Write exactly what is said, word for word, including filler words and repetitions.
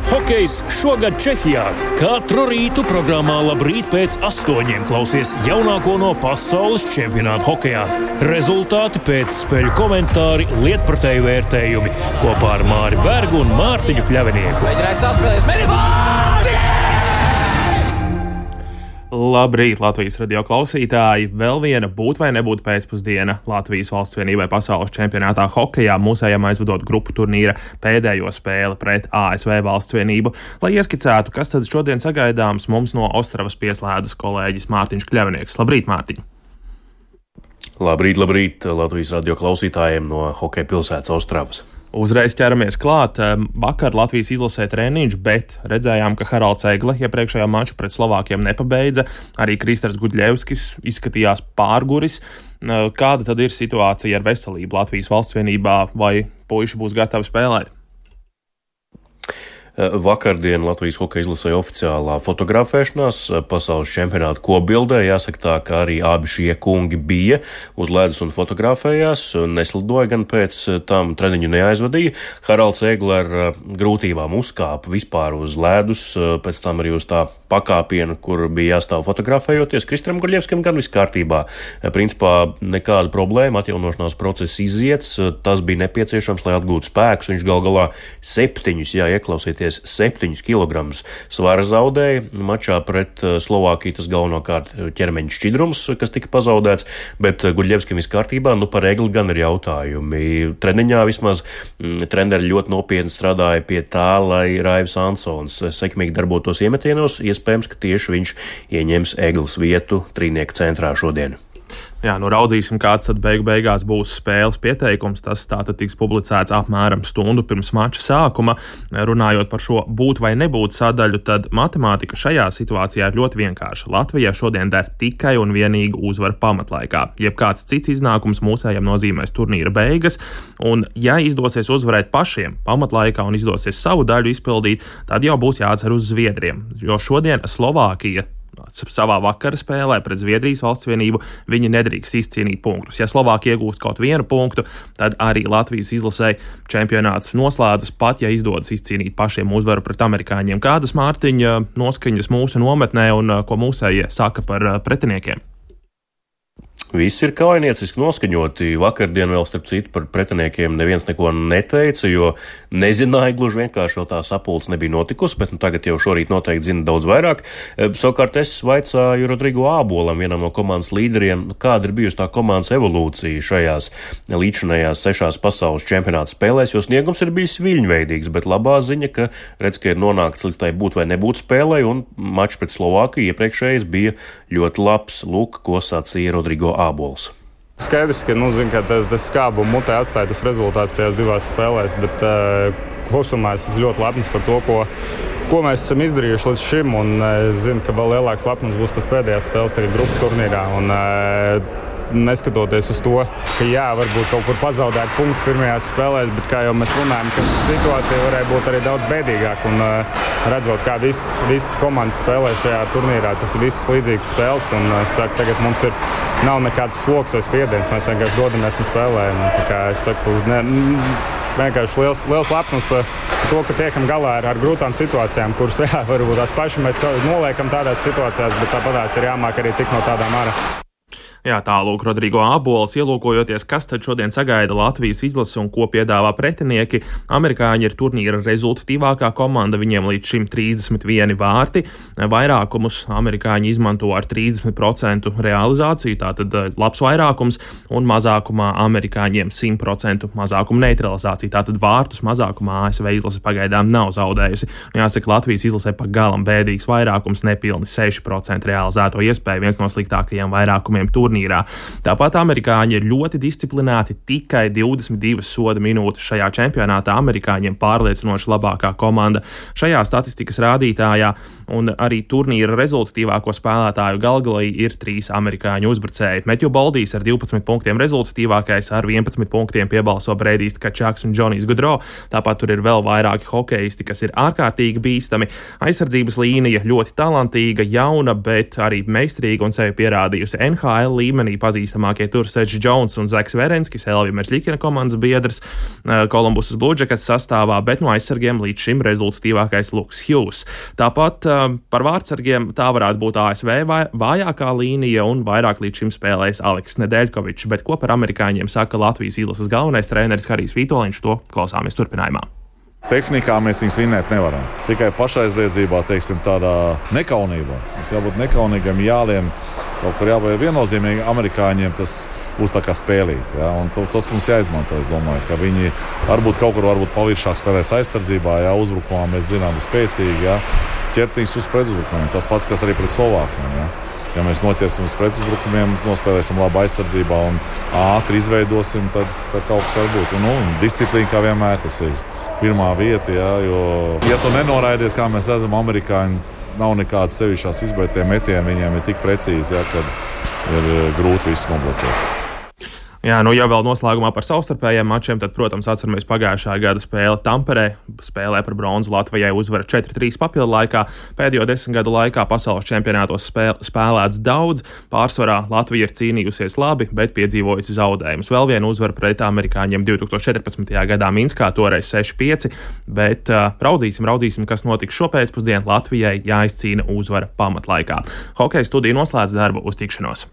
Hokejs šogad Čehijā. Katru rītu programmā Labrīt pēc astoņiem klausies jaunāko no pasaules čempionāta hokejā. Rezultāti pēc spēļu komentāri, lietpratēju vērtējumi kopā ar Māri Bergu un Mārtiņu Kļavinieku. Mēģinājis saspēlēs, mēģinājis! Labrīt, Latvijas radio klausītāji! Vēl viena būt vai nebūt pēcpusdiena Latvijas valsts vienībai pasaules čempionātā hokejā, mūsējām aizvadot grupu turnīra pēdējo spēli pret A S V valsts vienību. Lai ieskicētu, kas tad šodien sagaidāms, mums no Ostravas pieslēdzas kolēģis Mārtiņš Kļavinieks. Labrīt, Mārtiņ! Labrīt, labrīt Latvijas radio klausītājiem no hokeja pilsētas Ostravas. Uzreiz ķeramies klāt. Vakar Latvijas izlasē treniņš, bet redzējām, ka Haralds Egle iepriekšējā maču pret Slovākiem nepabeidza. Arī Kristers Gudļevskis izskatījās pārguris. Kāda tad ir situācija ar veselību Latvijas valsts vienībā, vai puiši būs gatavi spēlēt? Vakardien Latvijas hokeja izlasē oficiālā fotografēšanās pasaules čempionāta kopbildē. Jāsaka tā, ka arī abi šie kungi bija uz ledus un fotografējās, neslidoja gan pēc tam treniņu neaizvadīja. Haralds Egle ar grūtībām uzkāpa vispār uz ledus, pēc tam arī uz tā pakāpienu, kur bija jāstāv fotografējoties. Kristram Gudļevskim gan viss kārtībā. Principā nekāda problēma, atjaunošanās process iziets, tas bija nepieciešams, lai atgūtu spēkus. Viņš gal galā septiņus, jā, ieklausieties, septiņus kilogramus svara zaudēja. Mačā pret Slovākiju tas galvenokārt ķermeņa šķidrums, kas tika pazaudēts, bet Gudļevskim viss kārtībā. Nu, par Egli gan ir jautājumi. Treniņā vismaz treneri ļoti nopietni strādāja pie tā, lai Raivs Ansons sekmīgi darbotos iemetienos. Iespējams, ka tieši viņš ieņems Egles vietu trīnieka centrā šodien. Jā, nu raudzīsim, kāds tad beigu beigās būs spēles pieteikums. Tas tātad tiks publicēts apmēram stundu pirms mača sākuma. Runājot par šo būt vai nebūt sadaļu, tad matemātika šajā situācijā ir ļoti vienkārša. Latvijai šodien der tikai un vienīgi uzvara pamatlaikā. Jebkāds cits iznākums mūsējam nozīmēs turnīra beigas, un ja izdosies uzvarēt pašiem pamatlaikā un izdosies savu daļu izpildīt, tad jau būs jācer uz Zviedriem, jo šodien Slovākija savā vakara spēlē pret Zviedrijas valsts vienību viņi nedrīkst izcīnīt punktus. Ja Slovākija iegūst kaut vienu punktu, tad arī Latvijas izlasē čempionāts noslēdzas, pat ja izdodas izcīnīt pašiem uzvaru pret amerikāņiem. Kādas, Mārtiņa, noskaņas mūsu nometnē un ko mūsējie saka par pretiniekiem? Viss ir kaujinieciski noskaņoti. Vakardien vēl, starp citu, par pretiniekiem neviens neko neteica, jo nezināja, gluži vienkārši vēl tā sapulce nebija notikusi, bet nu, tagad jau šorīt noteikti zina daudz vairāk. Savukārt es vaicāju Rodrigo Ābolam, vienam no komandas līderiem, kāda ir bijusi tā komandas evolūcija šajās līdzinājās sešās pasaules čempionāta spēlēs, jo sniegums ir bijis viļņveidīgs, bet labā ziņa, ka redz, ka ir nonākts līdz tai būt vai nebūt spēlē, un mačs pret Slovākiju iepriekšējais bija ļoti labs. Lūk, ko sacīja Rodrigo Ābols. Skaidrs, ka, nu, zin, ka tas skābu mutē atstāja tas rezultāts tajās divās spēlēs, bet uh, kopumā es esmu ļoti lepns par to, ko, ko mēs esam izdarījuši līdz šim, un es uh, zinu, ka vēl lielāks lepnums būs pēc pēdējās spēles tagad grupu turnīrā, un uh, neskatoties uz to, ka jā, varbūt kaut kur pazaudēt punktu pirmajās spēlēs, bet kā jau mēs runājam, ka situācija varēja būt arī daudz bēdīgāka, un uh, redzot, kā visas, visas komandas spēlē šajā turnīrā, tas ir visas līdzīgas spēles, un es saku, tagad mums ir, nav nekāds sloks vai spiediens, mēs vienkārši dodamies un spēlējam. Tā kā es saku, ne, vienkārši liels, liels lepnums par to, ka tiekam galā ar, ar grūtām situācijām, kuras, jā, varbūt tās paši mēs noliekam tādās situācijās, bet tāpatās ir jāmāk arī tik no tādām ārā. Jā, tālūk Rodrigo Ābols, ielūkojoties, kas tad šodien sagaida Latvijas izlasi un ko piedāvā pretinieki. Amerikāņi ir turnīra rezultatīvākā komanda, viņiem līdz šim trīsdesmit vieni vārti. Vairākumus amerikāņi izmanto ar trīsdesmit procentu realizāciju, tātad labs vairākums, un mazākumā amerikāņiem simt procentu mazākumu neutralizāciju, tātad vārtus mazākumā A S V izlase pagaidām nav zaudējusi. Jāsaka, Latvijas izlasē pa galam bēdīgs vairākums, nepilni seši procenti realizēto iespēju, viens no sliktākajiem vairākumiem turnīrā. Tāpat amerikāņi ir ļoti disciplinēti, tikai divdesmit divas soda minūtes šajā čempionātā amerikāņiem pārliecinoši labākā komanda šajā statistikas rādītājā, un arī turnīra rezultatīvāko spēlētāju galgalī ir trīs amerikāņu uzbrucēji. Metju Boldijs ar divpadsmit punktiem rezultatīvākais, ar vienpadsmit punktiem piebalso Breidijs Tkačaks un Džonijs Gudro. Tāpat tur ir vēl vairāki hokeisti, kas ir ārkārtīgi bīstami. Aizsardzības līnija ļoti talantīga, jauna, bet arī meistarīga un sevi pierādījusi N H L līmenī pazīstamākie tur Sedžs Džons un Zeks Verenskis, Elvija Merzļikina komandas biedrs Kolumbusas Blue Jackets sastāvā, bet no aizsargiem līdz šim rezultatīvākais Luks Hughes. Tāpat par vārdsargiem tā varētu būt A S V vājākā līnija un vairāk līdz šim spēlējis Aleksis Nedeļkovičs, bet ko par amerikāņiem saka Latvijas izlases galvenais treneris Harijs Vitoļņš, to klausāmies turpinājumā. Tehnikā mēs viņus vinēt nevaram. Tikai pašaizliedzībā, teiksim, tādā nekaunībā. Mums jābūt nekaunīgam, jālien, kaut kur jābūt viennozīmīgi amerikāņiem, tas būs tā kā spēlīt. Ja? Un to, tas mums jāizmanto, es domāju, ka viņi varbūt kaut kur varbūt palīdzāk spēlēs aizsardzībā, ja uzbrukumā mēs zinām, ir spēcīgi, ja? Ķertiņus uz pretuzbrukumiem. Tas pats, kas arī pret Slovākiem. Ja? Ja mēs noķersim uz pretuzbrukumiem, nospēlēsim labu aizsardzībā un ātri izveidosim, tad, tad kaut kas var būt. Un, nu, disciplīna kā vienmēr tas ir pirmā vieta, ja, jo, ja tu nenoraidies, kā mēs redzam, amerikāņi nav nekādas sevišķās izbētē metieni, viņiem ir tik precīzi, ja, kad ir grūti visu nobloķēt. Jā, nu, ja vēl noslēgumā par savstarpējiem mačiem, tad, protams, atceramies pagājušā gada spēli Tamperē. Spēlē par bronzu Latvijai uzvara četri trīs papildu laikā. Pēdējo desmit gadu laikā pasaules čempionātos spēl, spēlēts daudz. Pārsvarā Latvija ir cīnījusies labi, bet piedzīvojusi zaudējumus. Vēl viena uzvara pret amerikāņiem divtūkstoš četrpadsmitajā gadā Minskā, toreiz seši pieci, bet uh, raudzīsim, raudzīsim, kas notiks šopēcpusdien. Latvijai jāizcīna uzvara pamatlaikā. Hokeja studija noslēdz darbu, uz tikšanos!